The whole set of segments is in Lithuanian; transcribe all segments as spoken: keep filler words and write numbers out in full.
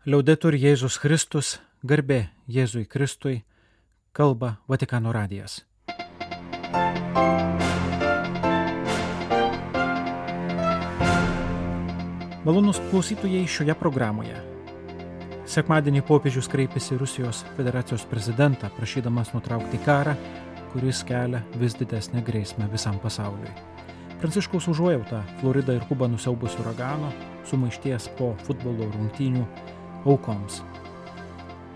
Liaudetur Jėzus Kristus, garbė Jėzui Kristui, kalba Vatikano radijas. Malonūs klausytojai šioje programoje. Sekmadienį popiežius kreipėsi Rusijos federacijos prezidentą, prašydamas nutraukti karą, kuris kelia vis didesnę grėsmę visam pasauliui. Pranciškaus užuojauta Floridą ir Kubą nusiaubusio uragano, sumaišties po futbolo rungtynių aukoms.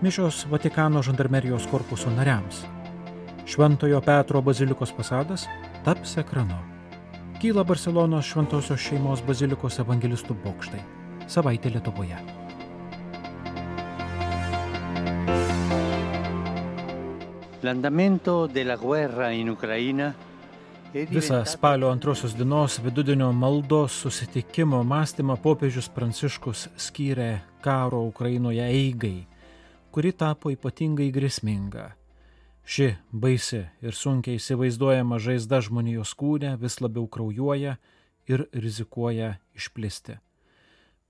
Mišios Vatikano žandarmerijos korpuso nariams. Šventojo Petro bazilikos fasadas taps ekranu. Kyla Barselonos šventosios šeimos bazilikos evangelistų bokštai. Savaitė Lietuvoje. L'andamento della guerra in Ucraina. Visą spalio antrosios dienos vidudienio maldos susitikimo mąstymą popiežius Pranciškus skyrė karo Ukrainoje eigai, kuri tapo ypatingai grėsminga. Ši baisi ir sunkiai įsivaizduojama žaizda žmonijos kūne vis labiau kraujuoja ir rizikuoja išplisti.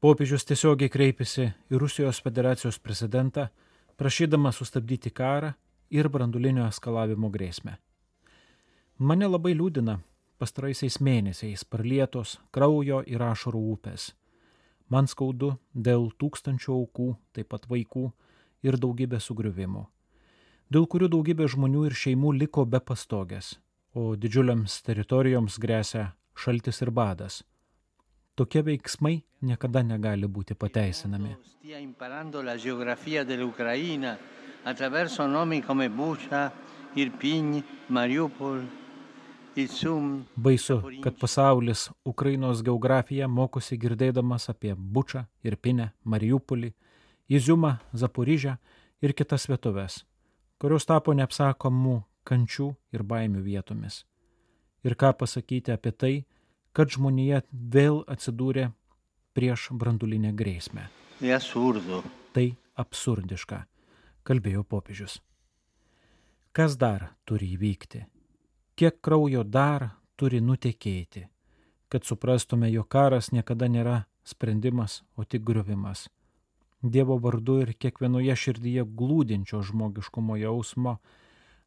Popiežius tiesiogiai kreipėsi į Rusijos federacijos prezidentą, prašydamas sustabdyti karą ir branduolinio eskalavimo grėsmę. Mane labai liūdina pastaraisiais mėnesiais pralietos kraujo ir ašarų upės. Man skaudu dėl tūkstančių aukų, taip pat vaikų ir daugybė sugriuvimų, dėl kurių daugybė žmonių ir šeimų liko be pastogės, o didžiuliams teritorijoms gresia šaltis ir badas. Tokie veiksmai niekada negali būti pateisinami. Stia imparando la geografia dell'Ucraina attraverso nomi come Bucha, Irpin, Mariupol. Baisu, kad pasaulis Ukrainos geografiją mokosi girdėdamas apie Bučą, Irpinę, Mariupolį, Iziumą, Zaporižę ir kitas vietovės, kurios tapo neapsakomų kančių ir baimių vietomis. Ir ką pasakyti apie tai, kad žmonija vėl atsidūrė prieš branduolinę grėsmę. Tai absurdiška, kalbėjo popiežius. Kas dar turi įvykti? Kiek kraujo dar turi nutekėti, kad suprastume, jog karas niekada nėra sprendimas, o tik griovimas. Dievo vardu ir kiekvienoje širdyje glūdinčio žmogiškumo jausmo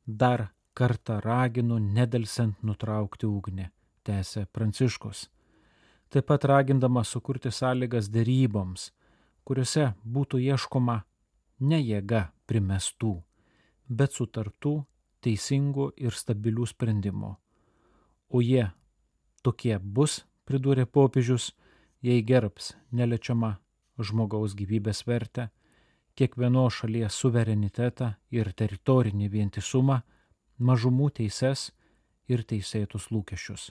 dar kartą raginu nedelsiant nutraukti ugnį, tęsė Pranciškus. Taip pat ragindamas sukurti sąlygas deryboms, kuriuose būtų ieškoma ne jėga primestų, bet sutartų, teisingų ir stabilių sprendimų. O jie tokie bus, pridūrė popiežius, jei gerbs neliečiamą žmogaus gyvybės vertę, kiekvienos šalies suverenitetą ir teritorinį vientisumą, mažumų teises ir teisėtus lūkesčius.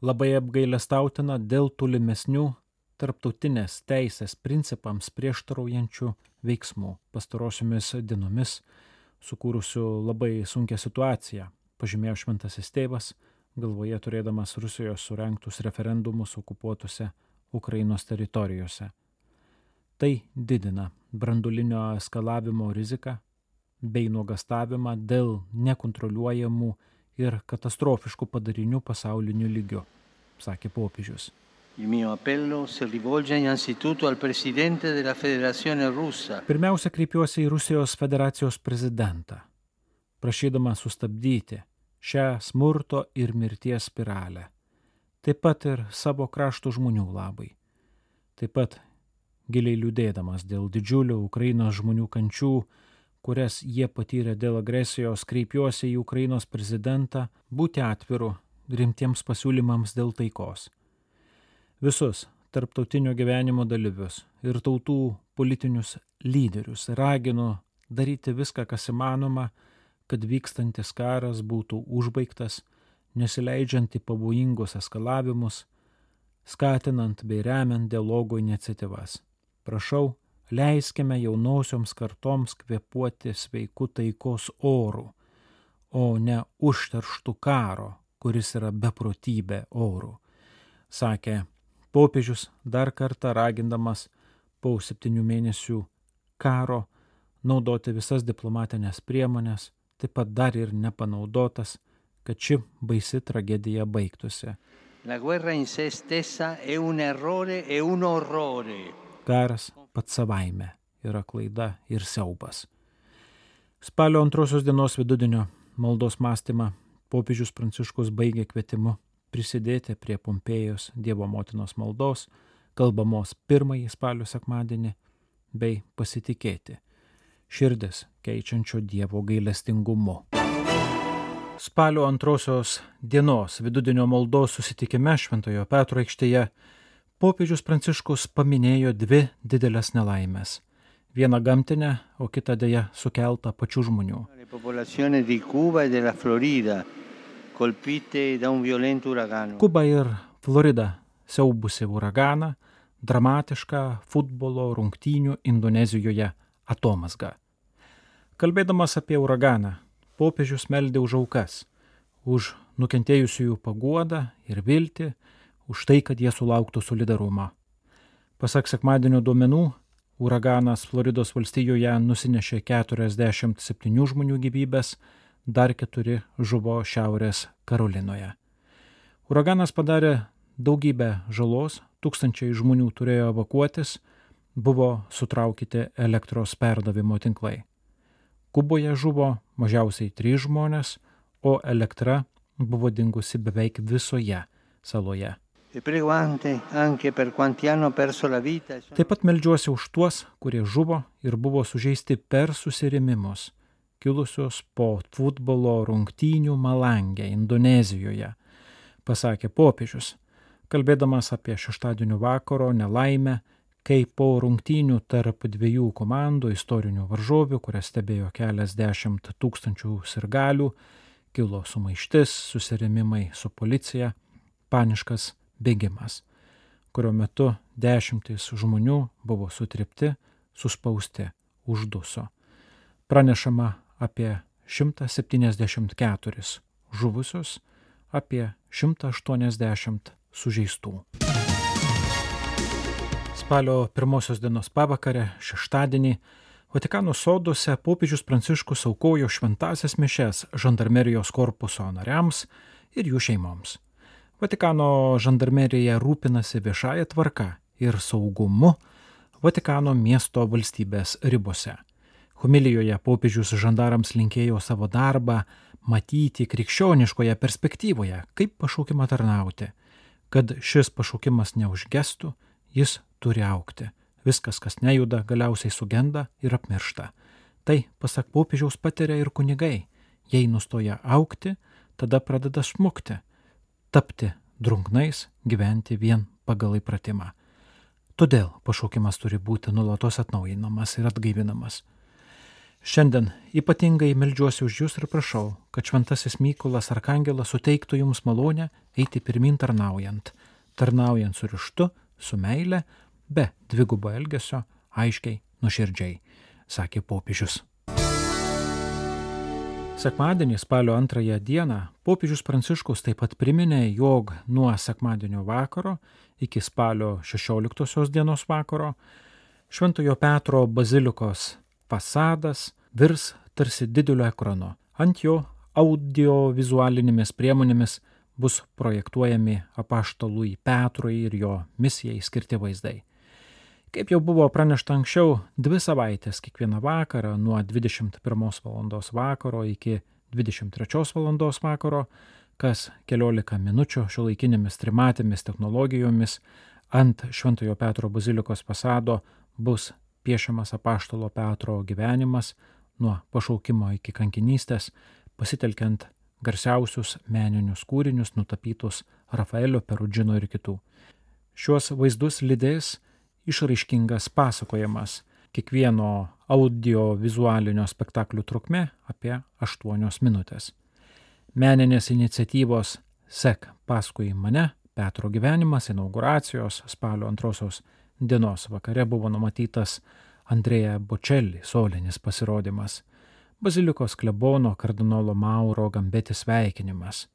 Labai apgailestautina dėl tolimesnių tarptautinės teisės principams prieštaraujančių veiksmų pastarosiomis dienomis, sukūrusių labai sunkią situaciją, pažymėjo šventasis tėvas, galvoje turėdamas Rusijos surengtus referendumus okupuotose Ukrainos teritorijose. Tai didina branduolinio eskalavimo riziką bei nuogastavimą dėl nekontroliuojamų ir katastrofiškų padarinių pasauliniu lygiu, sakė popiežius. Il mio appello si rivolge innanzitutto al presidente della Federazione Russa. Pirmiausia, kreipiuosi į Rusijos federacijos prezidentą, prašydama sustabdyti šią smurto ir mirties spiralę, taip pat ir savo krašto žmonių labai. Taip pat giliai liūdėdamas dėl didžiulių Ukrainos žmonių kančių, kurias jie patyrė dėl agresijos, kreipiuosi į Ukrainos prezidentą būti atviru rimtiems pasiūlymams dėl taikos. Visus tarptautinio gyvenimo dalyvius ir tautų politinius lyderius raginu daryti viską, kas įmanoma, kad vykstantis karas būtų užbaigtas, nesileidžiant į pavojingus eskalavimus, skatinant bei remiant dialogo iniciatyvas. Prašau, leiskime jaunosioms kartoms kvėpuoti sveiku taikos oru, o ne užterštų karo, kuris yra beprotybė oru, sakė popiežius dar kartą ragindamas po septynių mėnesių karo naudoti visas diplomatinės priemonės, taip pat dar ir nepanaudotas, kad ši baisi tragedija baigtųsi. La guerra in se stessa è un errore e un orrore. Karas pats savaime yra klaida ir siaubas. Spalio antrosios dienos vidudienio maldos mąstymą popiežius Pranciškus baigė kvietimu prisidėti prie Pompėjos Dievo motinos maldos, kalbamos pirmąjį spalio sekmadienį, bei pasitikėti širdis keičiančio Dievo gailestingumu. Spalio antrosios dienos vidudienio maldos susitikime Šventojo Petro aikštėje popiežius Pranciškus paminėjo dvi didelės nelaimės. Vieną gamtinę, o kitą deja sukeltą pačių žmonių. Kuba ir Florida siaubusi uraganą, dramatišką futbolo rungtynių Indonezijoje atomazgą. Kalbėdamas apie uraganą, popiežius meldė už aukas, už nukentėjusiųjų paguodą ir viltį, už tai, kad jie sulauktų solidarumą. Pasak sekmadienio duomenų, uraganas Floridos valstijoje nusinešė keturiasdešimt septynių žmonių gyvybes, dar keturi žuvo Šiaurės Karolinoje. Uraganas padarė daugybę žalos, tūkstančiai žmonių turėjo evakuotis, buvo sutraukyti elektros perdavimo tinklai. Kuboje žuvo mažiausiai trys žmonės, o elektra buvo dingusi beveik visoje saloje. Taip pat meldžiuosi už tuos, kurie žuvo ir buvo sužeisti per susirėmimus, kilusios po futbolo rungtynių Malangė, Indonezijoje, pasakė popiežius, kalbėdamas apie šeštadienio vakaro nelaimę, kai po rungtynių tarp dviejų komandų istorinių varžovių, kurias stebėjo keliasdešimt tūkstančių sirgalių, kilo sumaištis, susirėmimai su policija, paniškas bėgimas, kurio metu dešimtys žmonių buvo sutripti, suspausti, užduso. Pranešama apie šimtą septyniasdešimt keturis žuvusius, apie šimtą aštuoniasdešimt sužeistų. Spalio pirmosios dienos pavakarę, šeštadienį, Vatikano soduose popiežius Pranciškus aukojo šventąsias mišias žandarmerijos korpuso nariams ir jų šeimoms. Vatikano žandarmerija rūpinasi viešąja tvarka ir saugumu Vatikano miesto valstybės ribose. Homilijoje popiežius žandarams linkėjo savo darbą matyti krikščioniškoje perspektyvoje, kaip pašaukimą tarnauti, kad šis pašaukimas neužgestų, jis turi augti. Viskas, kas nejuda, galiausiai sugenda ir apmiršta. Tai, pasak popiežiaus, patiria ir kunigai. Jei nustoja augti, tada pradeda smukti, tapti drungnais, gyventi vien pagal įpratimą. Todėl pašaukimas turi būti nuolatos atnaujinamas ir atgaivinamas. Šiandien ypatingai meldžiuosi už jūs ir prašau, kad šventasis Mykolas Arkangelas suteiktų jums malonę eiti pirmyn tarnaujant, tarnaujant su ryžtu, su meile, be dvigubo elgesio, aiškiai, nuoširdžiai, sakė popiežius. Sekmadienį spalio antrąją dieną popiežius Pranciškus taip pat priminė, jog nuo sekmadienio vakaro iki spalio šešioliktosios dienos vakaro Šventojo Petro bazilikos fasadas virs tarsi dideliu ekranu. Ant jo audiovizualinėmis priemonėmis bus projektuojami apaštalui Petrui ir jo misijai skirti vaizdai. Kaip jau buvo pranešta anksčiau, dvi savaitės kiekvieną vakarą nuo dvidešimt pirmos valandos vakaro iki dvidešimt trečios valandos vakaro, kas keliolika minučių šiuolaikinėmis trimatėmis technologijomis ant Šventojo Petro bazilikos fasado bus piešiamas apaštalo Petro gyvenimas nuo pašaukimo iki kankinystės, pasitelkiant garsiausius meninius kūrinius nutapytus Rafaelio, Perudžino ir kitų. Šiuos vaizdus lydės išraiškingas pasakojimas, kiekvieno audiovizualinio spektaklio trukmė apie aštuonios minutės. Meninės iniciatyvos Sek paskui mane, Petro gyvenimas, inauguracijos spalio antrosios dienos vakare buvo numatytas Andrea Bocelli solinis pasirodymas, bazilikos klebono kardinolo Mauro Gambeti sveikinimas.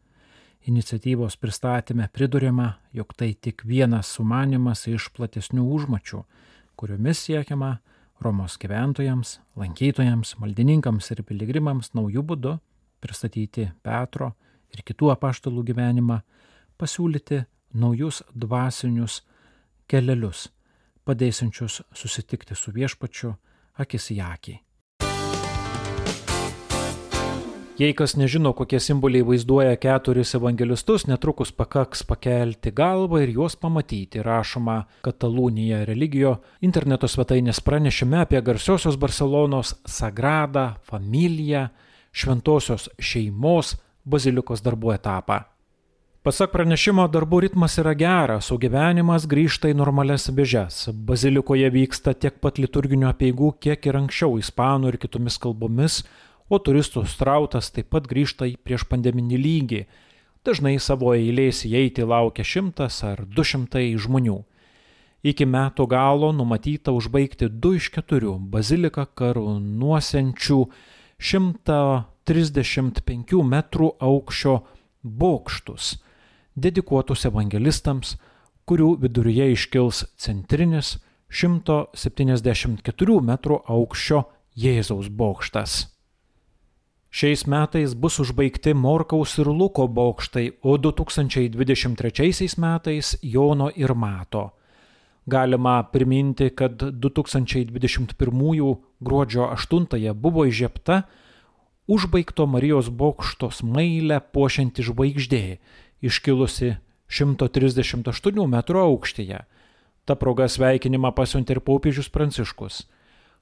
Iniciatyvos pristatyme priduriama, jog tai tik vienas sumanymas iš platesnių užmačių, kuriomis siekiama Romos gyventojams, lankytojams, maldininkams ir piligrimams naujų būdų pristatyti Petro ir kitų apaštalų gyvenimą, pasiūlyti naujus dvasinius kelelius, padėsiančius susitikti su viešpačiu, akis į akį. Jei kas nežino, kokie simboliai vaizduoja keturis evangelistus, netrukus pakaks pakelti galvą ir juos pamatyti. Rašoma Katalūnija Religio interneto svetainės pranešime apie garsiosios Barselonos Sagrada Familia šventosios šeimos bazilikos darbų etapą. Pasak pranešimo, darbų ritmas yra geras, o gyvenimas grįžta į normalias vėžes. Bazilikoje vyksta tiek pat liturginių apeigų, kiek ir anksčiau ispanų ir kitomis kalbomis, o turistų srautas taip pat grįžta į prieš pandeminį lygį. Dažnai savo eilės įeiti laukia šimtas ar du šimtai žmonių. Iki metų galo numatyta užbaigti du iš keturių baziliką karūnuosiančių šimto trisdešimt penkių metrų aukščio bokštus, dedikuotus evangelistams, kurių viduryje iškils centrinis šimto septyniasdešimt keturių metrų aukščio Jėzaus bokštas. Šiais metais bus užbaigti Morkaus ir Luko bokštai, o du tūkstančiai dvidešimt trečiaisiais metais Jono ir Mato. Galima priminti, kad du tūkstančiai dvidešimt pirmųjų gruodžio aštuntąją buvo įžiebta užbaigto Marijos bokšto smailę puošianti žvaigždė, iškilusi šimto trisdešimt aštuonių metrų aukštyje. Ta proga sveikinimą pasiuntė ir popiežius Pranciškus.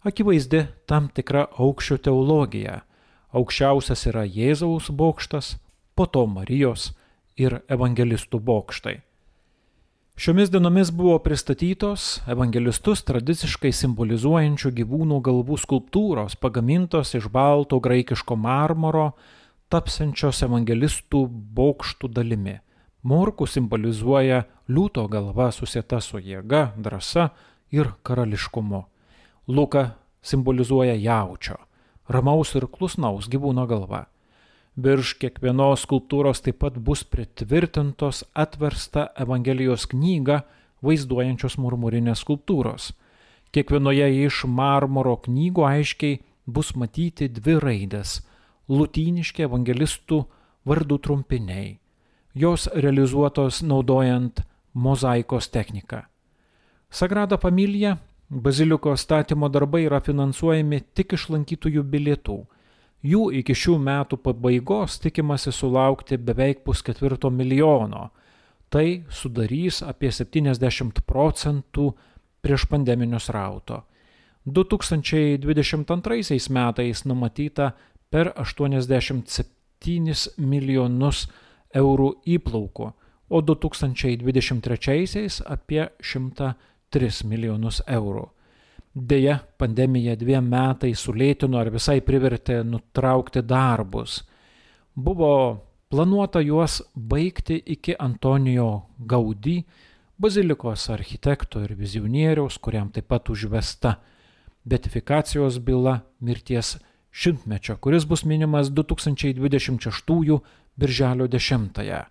Akivaizdi tam tikra aukščio teologija. Aukščiausias yra Jėzaus bokštas, po to Marijos ir evangelistų bokštai. Šiomis dienomis buvo pristatytos evangelistus tradiciškai simbolizuojančių gyvūnų galvų skulptūros, pagamintos iš balto graikiško marmuro, tapsiančios evangelistų bokštų dalimi. Morkų simbolizuoja liūto galva susieta su jėga, drąsa ir karališkumu. Luka simbolizuoja jaučio, ramaus ir klusnaus gyvūno galva. Virš kiekvienos skulptūros taip pat bus pritvirtintos atversta Evangelijos knyga vaizduojančios murmurinės skulptūros. Kiekvienoje iš marmuro knygų aiškiai bus matyti dvi raidės – lotyniški evangelistų vardų trumpiniai. Jos realizuotos naudojant mozaikos techniką. Sagrada Familia bazilikos statymo darbai yra finansuojami tik iš lankytojų bilietų. Jų iki šių metų pabaigos tikimasi sulaukti beveik pusketvirto milijono. Tai sudarys apie septyniasdešimt procentų prieš pandeminio srauto. du tūkstančiai dvidešimt antraisiais metais numatyta per aštuoniasdešimt septynis milijonus eurų įplaukų, o du tūkstančiai dvidešimt trečiaisiais apie šimtą tris milijonus eurų. Deja, pandemija dviem metais sulėtino ar visai privertė nutraukti darbus. Buvo planuota juos baigti iki Antonijo Gaudí, bazilikos architekto ir vizionieriaus, kuriam taip pat užvesta beatifikacijos byla mirties šimtmečio, kuris bus minimas du tūkstančiai dvidešimt šeštųjų birželio dešimtąją.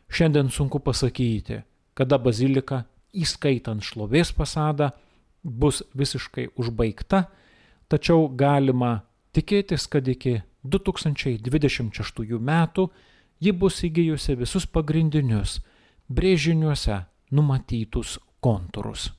Šiandien sunku pasakyti, kada bazilika, įskaitant šlovės fasadą, bus visiškai užbaigta, tačiau galima tikėtis, kad iki du tūkstančiai dvidešimt šeštųjų metų ji bus įgijusi visus pagrindinius brėžiniuose numatytus kontūrus.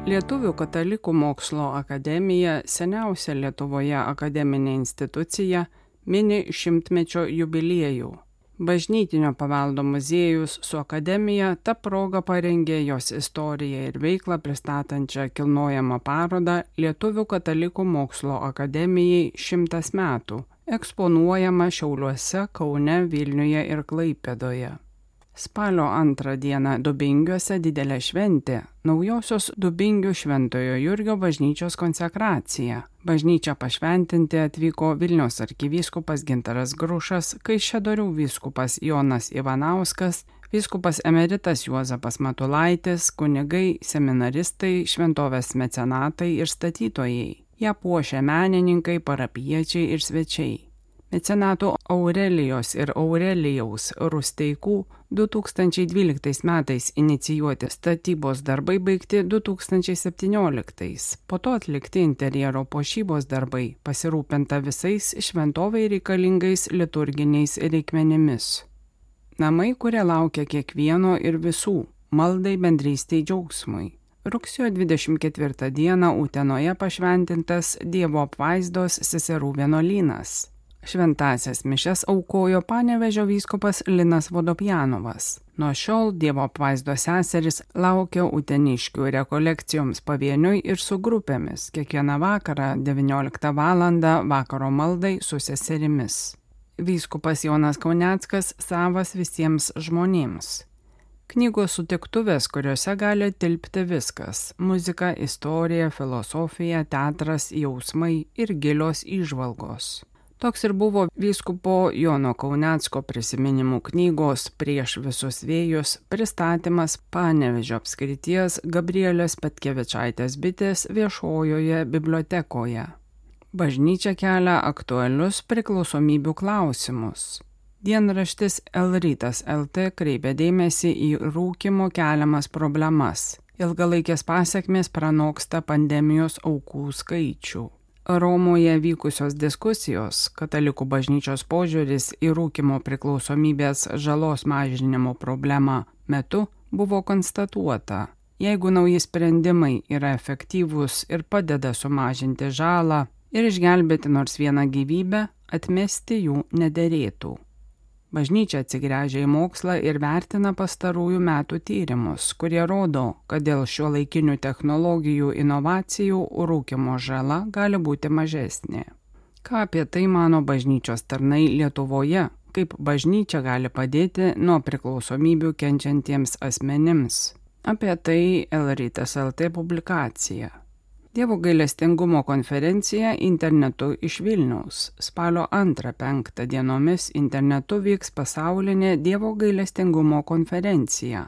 Lietuvių katalikų mokslo akademija, seniausia Lietuvoje akademinė institucija, mini šimtmečio jubiliejų. Bažnytinio paveldo muziejus su akademija ta proga parengė jos istoriją ir veiklą pristatančią kilnojamą parodą Lietuvių katalikų mokslo akademijai šimtas metų, eksponuojama Šiauliuose, Kaune, Vilniuje ir Klaipėdoje. Spalio antrą dieną Dubingiuose didelė šventė – naujosios Dubingių Šventojo Jurgio bažnyčios konsekracija. Bažnyčią pašventinti atvyko Vilniaus arkivyskupas Gintaras Grušas, Kaišiadorių vyskupas Jonas Ivanauskas, vyskupas emeritas Juozapas Matulaitis, kunigai, seminaristai, šventovės mecenatai ir statytojai. Ją puošia menininkai, parapijiečiai ir svečiai. Mecenatų Aurelijos ir Aurelijaus Rusteikų du tūkstančiai dvyliktais metais inicijuoti statybos darbai baigti du tūkstančiai septynioliktais. Po to atlikti interjero puošybos darbai, pasirūpinta visais šventovai reikalingais liturginiais reikmenimis. Namai, kurie laukia kiekvieno ir visų, maldai, bendrystei, džiaugsmui. rugsėjo dvidešimt ketvirtą dieną Utenoje pašventintas Dievo apvaizdos seserų vienuolynas. Šventąsias mišias aukojo Panevėžio vyskupas Linas Vodopjanovas. Nuo šiol Dievo apvaizdos seseris laukia uteniškių rekolekcijoms pavieniui ir su grupėmis, kiekvieną vakarą devynioliktą valandą vakaro maldai su seserimis. Vyskupas Jonas Kauneckas savas visiems žmonėms. Knygos sutiktuvės, kuriuose gali tilpti viskas – muzika, istorija, filosofija, teatras, jausmai ir gilios įžvalgos. Toks ir buvo vyskupo Jono Kaunecko prisiminimų knygos Prieš visus vėjus pristatymas Panevėžio apskrities Gabrielės Petkevičaitės bitės viešojoje bibliotekoje. Bažnyčia kelia aktualius priklausomybių klausimus. Dienraštis El Rytas L T kreipia dėmesį į rūkymo keliamas problemas. Ilgalaikės pasekmės pranoksta pandemijos aukų skaičių. Romoje vykusios diskusijos, katalikų bažnyčios požiūris į rūkymo priklausomybės žalos mažinimo problemą metu buvo konstatuota. Jeigu nauji sprendimai yra efektyvūs ir padeda sumažinti žalą ir išgelbėti nors vieną gyvybę, atmesti jų nederėtų. Bažnyčia atsigręžia į mokslą ir vertina pastarųjų metų tyrimus, kurie rodo, kad dėl šiuolaikinių technologijų inovacijų rūkymo žala gali būti mažesnė. Ką apie tai mano bažnyčios tarnai Lietuvoje, kaip bažnyčia gali padėti nuo priklausomybių kenčiantiems asmenims? Apie tai El Rytas L T publikacija. Dievo gailestingumo konferencija internetu iš Vilniaus. Spalio antrą penktą dienomis internetu vyks pasaulinė Dievo gailestingumo konferencija.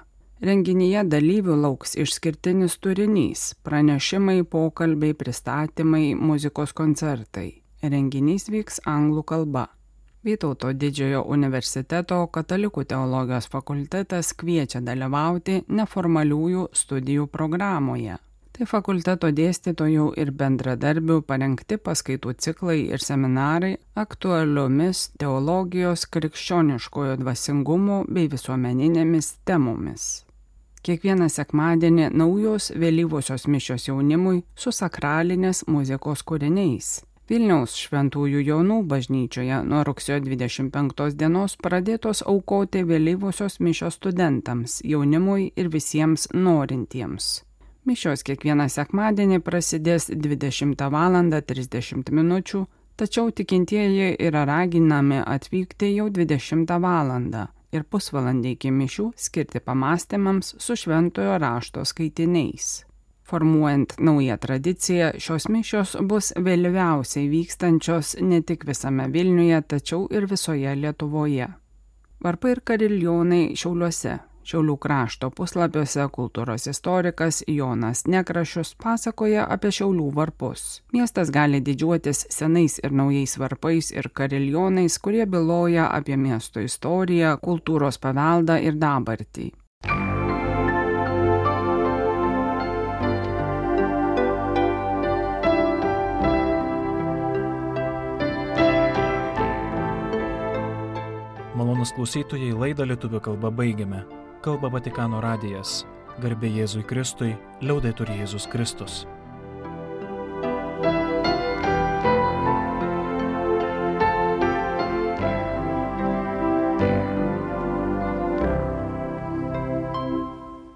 Renginyje dalyvių lauks išskirtinis turinys – pranešimai, pokalbiai, pristatymai, muzikos koncertai. Renginys vyks anglų kalba. Vytauto Didžiojo universiteto Katalikų teologijos fakultetas kviečia dalyvauti neformaliųjų studijų programoje. Tai fakulteto dėstytojų ir bendradarbių parengti paskaitų ciklai ir seminarai aktualiomis teologijos, krikščioniškojo dvasingumo bei visuomeninėmis temomis. Kiekvieną sekmadienį naujos vėlyvosios mišios jaunimui su sakralinės muzikos kūriniais. Vilniaus Šventųjų Jonų bažnyčioje nuo rugsėjo dvidešimt penktos dienos pradėtos aukoti vėlyvosios mišios studentams, jaunimui ir visiems norintiems. Mišios kiekvieną sekmadienį prasidės dvidešimtą valandą trisdešimt minučių, tačiau tikintieji yra raginami atvykti jau dvidešimtą valandą ir pusvalandį iki mišių skirti pamastymams su šventojo rašto skaitiniais. Formuojant naują tradiciją, šios mišios bus vėliausiai vykstančios ne tik visame Vilniuje, tačiau ir visoje Lietuvoje. Varpai ir kariljonai Šiauliuose. Šiaulių krašto puslapiuose kultūros istorikas Jonas Nekrašius pasakoja apie Šiaulių varpus. Miestas gali didžiuotis senais ir naujais varpais ir kariljonais, kurie byloja apie miesto istoriją, kultūros paveldą ir dabartį. Malonūs klausytojai, laidą lietuvių kalba baigiame. Kalba Vatikano radijas. Garbė Jėzui Kristui, liaudetur Jėzus Kristus.